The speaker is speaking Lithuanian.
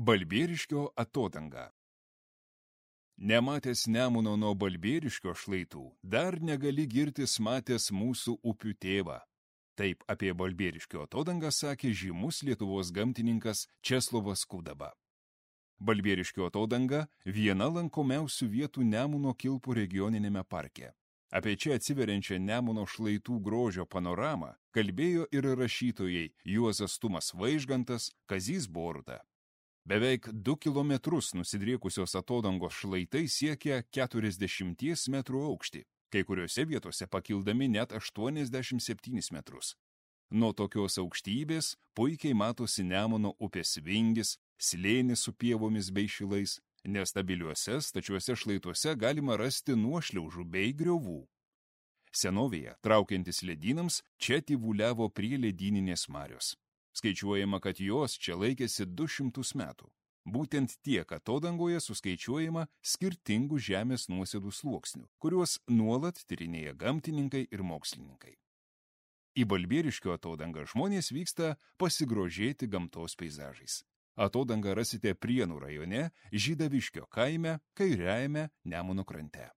Balbieriškio atodanga. Nematęs Nemuno nuo Balbieriškio šlaitų, dar negali girtis matęs mūsų upių tėvą. Taip apie Balbieriškio atodangą sakė žymus Lietuvos gamtininkas Česlovas Kudaba. Balbieriškio atodanga viena lankomiausių vietų Nemuno Kilpų regioninėme parke. Apie čia atsiveriančią Nemuno šlaitų grožio panoramą kalbėjo ir rašytojai Juozas Tumas Vaižgantas, Kazys Boruta. Beveik 2 kilometrus nusidriekusios atodangos šlaitai siekia 40 metrų aukštį, kai kuriuose vietose pakildami net 87 metrus. Nuo tokios aukštybės puikiai matosi Nemuno upės vingis, slėnis su pievomis bei šilais, nestabiliuose stačiuose šlaituose galima rasti nuošliaužų bei griovų. Senovėje, traukiantis ledynams, čia tyvuliavo prie ledyninės marios. Skaičiuojama, kad jos čia laikėsi 200 metų. Būtent tiek atodangoje suskaičiuojama skirtingų žemės nuosėdų sluoksnių, kuriuos nuolat tyrinėja gamtininkai ir mokslininkai. Į Balbieriškio atodangą žmonės vyksta pasigrožėti gamtos peizažais. Atodangą rasite Prienų rajone, Žydaviškio kaime, kairiajame Nemuno krante.